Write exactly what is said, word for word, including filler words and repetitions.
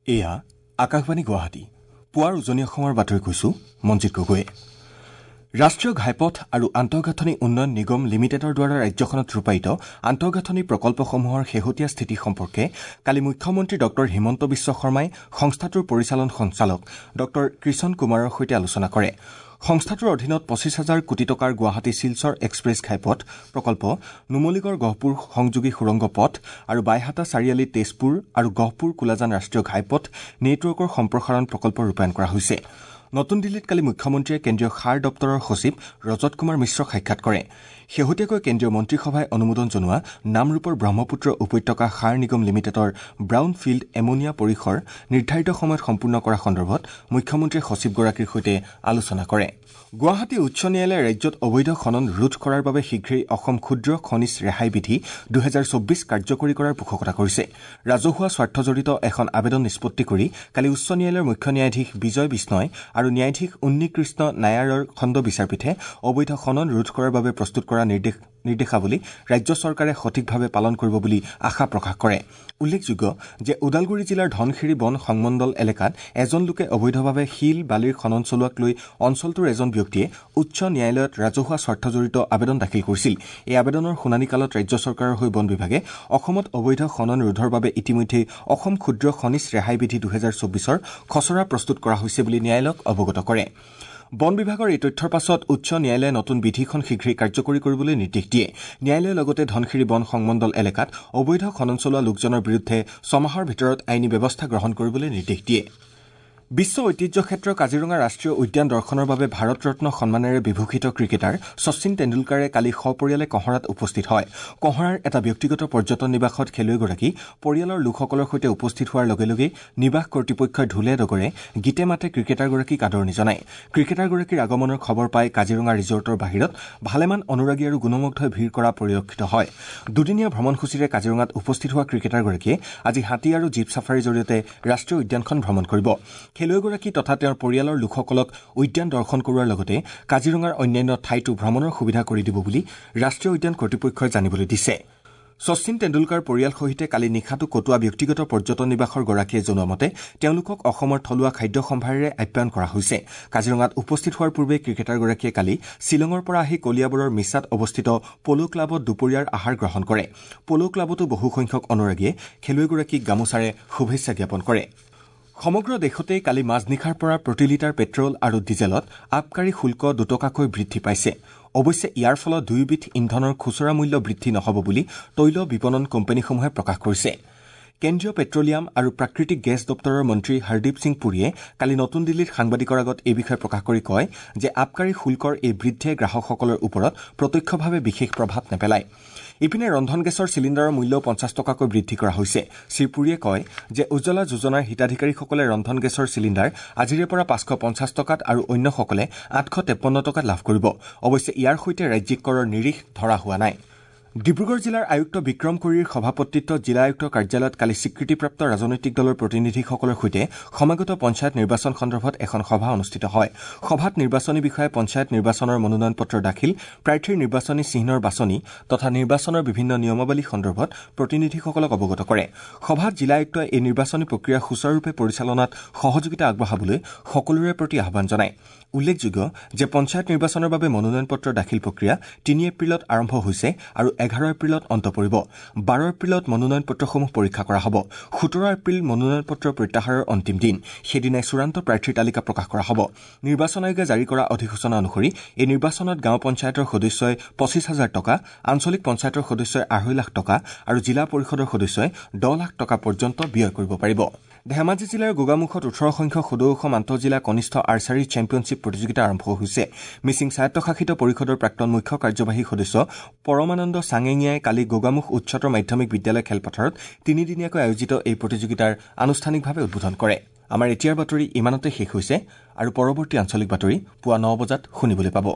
এয়া আকাশবাণী গুৱাহাটী। পুৱাৰ উজনি অসমৰ বাতৰি কৈছো মঞ্জিত গগৈয়ে। ৰাষ্ট্ৰীয় ঘাইপথ আৰু আন্তঃগাঁথনি উন্নয়ন নিগম লিমিটেডৰ দ্বাৰা ৰাজ্যখনত ৰূপায়িত আন্তঃগাঁথনি প্ৰকল্পসমূহৰ শেহতীয়া স্থিতি সম্পৰ্কে কালি মুখ্যমন্ত্ৰী ডঃ হিমন্ত বিশ্ব শৰ্মাই সংস্থাটোৰ পৰিচালন সঞ্চালক ডঃ কৃষণ কুমাৰৰ সৈতে আলোচনা কৰে। সংস্থাটোৰ অধীনত পঁচিছ হাজাৰ কোটি টকাৰ গুৱাহাটী শিলচৰ এক্সপ্ৰেছ ঘাইপথ প্ৰকল্প, নুমলীগড় গহপুৰ সংযোগী সুৰংগ পথ আৰু বাইহাটা চাৰিআলি তেজপুৰ আৰু গহপুৰ কোলাজান ৰাষ্ট্ৰীয় ঘাইপথ নেটৱৰ্কৰ সম্প্ৰসাৰণ প্ৰকল্প ৰূপায়ণ কৰা হৈছে। নতুন দিল্লীত কালি মুখ্যমন্ত্ৰীয়ে কেন্দ্ৰীয় সাৰ দপ্তৰৰ সচিব ৰজত কুমাৰ মিশ্ৰক সাক্ষাৎ কৰে। শেহতীয়াকৈ কেন্দ্ৰীয় মন্ত্ৰীসভাই অনুমোদন জনোৱা নামৰূপৰ ব্ৰহ্মপুত্ৰ উপত্যকা সাৰ নিগম লিমিটেডৰ ব্ৰাউন ফিল্ড এমোনিয়া পৰিসৰ নিৰ্ধাৰিত সময়ত সম্পূৰ্ণ কৰা সন্দৰ্ভত মুখ্যমন্ত্ৰীয়ে সচিবগৰাকীৰ সৈতে আলোচনা কৰে। গুৱাহাটী উচ্চ ন্যায়ালয়ে ৰাজ্যত অবৈধ খনন ৰোধ কৰাৰ বাবে শীঘ্ৰেই অসম ক্ষুদ্ৰ খনিজ ৰেহাই বিধি দুহেজাৰ চৌব্বিছ কাৰ্যকৰী কৰাৰ পোষকতা কৰিছে। ৰাজহুৱা স্বাৰ্থজড়িত এখন আবেদন নিষ্পত্তি কৰি কালি উচ্চ ন্যায়ালয়ৰ মুখ্য ন্যায়াধীশ বিজয় বিষ্ণয় আৰু ন্যায়াধীশ উন্নীকৃষ্ণ নায়াৰৰ খণ্ড বিচাৰপীঠে অবৈধ খনন ৰোধ কৰাৰ বাবে প্ৰস্তুত কৰা নিৰ্দেশ নিৰ্দেশাৱলী ৰাজ্য চৰকাৰে সঠিকভাৱে পালন কৰিব বুলি আশা প্ৰকাশ কৰে। উল্লেখযোগ্য যে ওদালগুৰি জিলাৰ ধনশিৰি বন সংমণ্ডল এলেকাত এজন লোকে অবৈধভাৱে শিল বালিৰ খনন চলোৱাক লৈ অঞ্চলটোৰ এজন ব্যক্তিয়ে উচ্চ ন্যায়ালয়ত ৰাজহুৱা স্বাৰ্থজড়িত আবেদন দাখিল কৰিছিল। এই আবেদনৰ শুনানিকালত ৰাজ্য চৰকাৰৰ হৈ বন বিভাগে অসমত অবৈধ খনন ৰোধৰ বাবে ইতিমধ্যেই অসম ক্ষুদ্ৰ খনিজ ৰেহাই বিধি দুহেজাৰ চৌব্বিছৰ খচৰা প্ৰস্তুত কৰা হৈছে বুলি ন্যায়ালয়ক অৱগত কৰে। বন বিভাগৰ এই তথ্যৰ পাছত উচ্চ ন্যায়ালয়ে নতুন বিধিখন শীঘ্ৰেই কাৰ্যকৰী কৰিবলৈ নিৰ্দেশ দিয়ে। ন্যায়ালয়ে লগতে ধনশিৰি বন সংমণ্ডল এলেকাত অবৈধ খনন চলোৱা লোকজনৰ বিৰুদ্ধে ছমাহৰ ভিতৰত আইনী ব্যৱস্থা গ্ৰহণ কৰিবলৈ নিৰ্দেশ দিয়ে। বিশ্ব ঐতিহ্য ক্ষেত্ৰ কাজিৰঙা ৰাষ্ট্ৰীয় উদ্যান দৰ্শনৰ বাবে ভাৰত ৰত্ন সন্মানেৰে বিভূষিত ক্ৰিকেটাৰ শচীন তেণ্ডুলকাৰে কালি সপৰিয়ালে কঁহৰাত উপস্থিত হয়। কঁহৰাৰ এটা ব্যক্তিগত পৰ্যটন নিবাসত খেলুৱৈগৰাকী পৰিয়ালৰ লোকসকলৰ সৈতে উপস্থিত হোৱাৰ লগে লগে নিবাস কৰ্তৃপক্ষই ঢোলে ডগৰে গীতে মাতে ক্ৰিকেটাৰগৰাকীক আদৰণি জনায়। ক্ৰিকেটাৰগৰাকীৰ আগমনৰ খবৰ পাই কাজিৰঙা ৰিজৰ্টৰ বাহিৰত ভালেমান অনুৰাগী আৰু গুণমুগ্ধই ভিৰ কৰা পৰিলক্ষিত হয়। দুদিনীয়া ভ্ৰমণসূচীৰে কাজিৰঙাত উপস্থিত হোৱা ক্ৰিকেটাৰগৰাকীয়ে আজি হাতী আৰু জীপ ছাফাৰীৰ জৰিয়তে ৰাষ্ট্ৰীয় উদ্যানখন ভ্ৰমণ কৰিব। খেলুৱৈগৰাকী তথা তেওঁৰ পৰিয়ালৰ লোকসকলক উদ্যান দৰ্শন কৰোৱাৰ লগতে কাজিৰঙাৰ অন্যান্য ঠাইতো ভ্ৰমণৰ সুবিধা কৰি দিব বুলি ৰাষ্ট্ৰীয় উদ্যান কৰ্তৃপক্ষই জানিবলৈ দিছে। শচীন তেণ্ডুলকাৰ পৰিয়াল সহিতে কালি নিশাটো কটোৱা ব্যক্তিগত পৰ্যটন নিবাসৰ গৰাকীয়ে জনোৱা মতে তেওঁলোকক অসমৰ থলুৱা খাদ্য সম্ভাৰেৰে আপ্যায়ন কৰা হৈছে। কাজিৰঙাত উপস্থিত হোৱাৰ পূৰ্বে ক্ৰিকেটাৰগৰাকীয়ে কালি শ্বিলঙৰ পৰা আহি কলিয়াবৰৰ মিছাত অৱস্থিত প'ল' ক্লাবত দুপৰীয়াৰ আহাৰ গ্ৰহণ কৰে। প'ল' ক্লাবতো বহুসংখ্যক অনুৰাগীয়ে খেলুৱৈগৰাকীক গামোচাৰে শুভেচ্ছা জ্ঞাপন কৰে। সমগ্ৰ দেশতে কালি মাজনিশাৰ পৰা প্ৰতি লিটাৰ পেট্ৰল আৰু ডিজেলত আবকাৰী শুল্ক দুটকাকৈ বৃদ্ধি পাইছে। অৱশ্যে ইয়াৰ ফলত দুয়োবিধ ইন্ধনৰ খুচুৰা মূল্য বৃদ্ধি নহ'ব বুলি তৈল বিপণন কোম্পানীসমূহে প্ৰকাশ কৰিছে। কেন্দ্ৰীয় পেট্ৰলিয়াম আৰু প্ৰাকৃতিক গেছ দপ্তৰৰ মন্ত্ৰী হৰদীপ সিং পুৰীয়ে কালি নতুন দিল্লীত সাংবাদিকৰ আগত এই বিষয়ে প্ৰকাশ কৰি কয় যে আবকাৰী শুল্কৰ এই বৃদ্ধিয়ে গ্ৰাহকসকলৰ ওপৰত প্ৰত্যক্ষভাৱে বিশেষ প্ৰভাৱ নেপেলায়। ইপিনে ৰন্ধন গেছৰ চিলিণ্ডাৰৰ মূল্যও পঞ্চাছ টকাকৈ বৃদ্ধি কৰা হৈছে। শ্ৰীপুৰীয়ে কয় যে উজ্জ্বলা যোজনাৰ হিতাধিকাৰীসকলে ৰন্ধন গেছৰ চিলিণ্ডাৰ আজিৰে পৰা পাঁচশ পঞ্চাছ টকাত আৰু অন্যসকলে আঠশ তেপন্ন টকাত লাভ কৰিব। অৱশ্যে ইয়াৰ সৈতে ৰাজ্যিক কৰৰ নিৰিখ ধৰা হোৱা নাই। ডিব্ৰুগড় জিলাৰ আয়ুক্ত বিক্ৰম কুৰীৰ সভাপতিত্বত জিলা আয়ুক্ত কাৰ্যালয়ত কালি স্বীকৃতিপ্ৰাপ্ত ৰাজনৈতিক দলৰ প্ৰতিনিধিসকলৰ সৈতে সমাগত পঞ্চায়ত নিৰ্বাচন সন্দৰ্ভত এখন সভা অনুষ্ঠিত হয়। সভাত নিৰ্বাচনী বিষয়াই পঞ্চায়ত নিৰ্বাচনৰ মনোনয়ন পত্ৰ দাখিল, প্ৰাৰ্থীৰ নিৰ্বাচনী চিহ্নৰ বাছনি তথা নিৰ্বাচনৰ বিভিন্ন নিয়মাৱলী সন্দৰ্ভত প্ৰতিনিধিসকলক অৱগত কৰে। সভাত জিলা আয়ুক্তই এই নিৰ্বাচনী প্ৰক্ৰিয়া সুচাৰুৰূপে পৰিচালনাত সহযোগিতা আগবঢ়াবলৈ সকলোৰে প্ৰতি আহ্বান জনায়। উল্লেখযোগ্য যে পঞ্চায়ত নিৰ্বাচনৰ বাবে মনোনয়ন পত্ৰ দাখিল প্ৰক্ৰিয়া তিনি এপ্ৰিলত আৰম্ভ হৈছে আৰু এঘাৰ এপ্ৰিলত অন্ত পৰিব। বাৰ এপ্ৰিলত মনোনয়ন পত্ৰসমূহ পৰীক্ষা কৰা হ'ব। সোতৰ এপ্ৰিল মনোনয়ন পত্ৰ প্ৰত্যাহাৰৰ অন্তিম দিন। সেইদিনাই চূড়ান্ত প্ৰাৰ্থীৰ তালিকা প্ৰকাশ কৰা হ'ব। নিৰ্বাচন আয়োগে জাৰি কৰা অধিসূচনা অনুসৰি এই নিৰ্বাচনত গাঁও পঞ্চায়তৰ সদস্যই পঁচিছ হাজাৰ টকা, আঞ্চলিক পঞ্চায়তৰ সদস্যই আঢ়ৈ লাখ টকা আৰু জিলা পৰিষদৰ সদস্যই দহ লাখ টকা পৰ্যন্ত ব্যয় কৰিব পাৰিব। ধেমাজি জিলাৰ গোগামুখত ওঠৰ সংখ্যক সদৌ অসম আন্তঃজিলা কনিষ্ঠ আৰ্চাৰী চেম্পিয়নশ্বিপ প্ৰতিযোগিতা আৰম্ভ হৈছে। মিচিং স্বায়ত্তশাসিত পৰিষদৰ প্ৰাক্তন মুখ্য কাৰ্যবাহী সদস্য পৰমানন্দ চাঙেঙীয়াই কালি গোগামুখ উচ্চতৰ মাধ্যমিক বিদ্যালয় খেলপথাৰত তিনিদিনীয়াকৈ আয়োজিত এই প্ৰতিযোগিতাৰ আনুষ্ঠানিকভাৱে উদ্বোধন কৰে। আমাৰ এতিয়াৰ বাতৰি ইমানতে শেষ হৈছে আৰু পৰৱৰ্তী আঞ্চলিক বাতৰি পুৱা ন বজাত শুনিবলৈ পাব।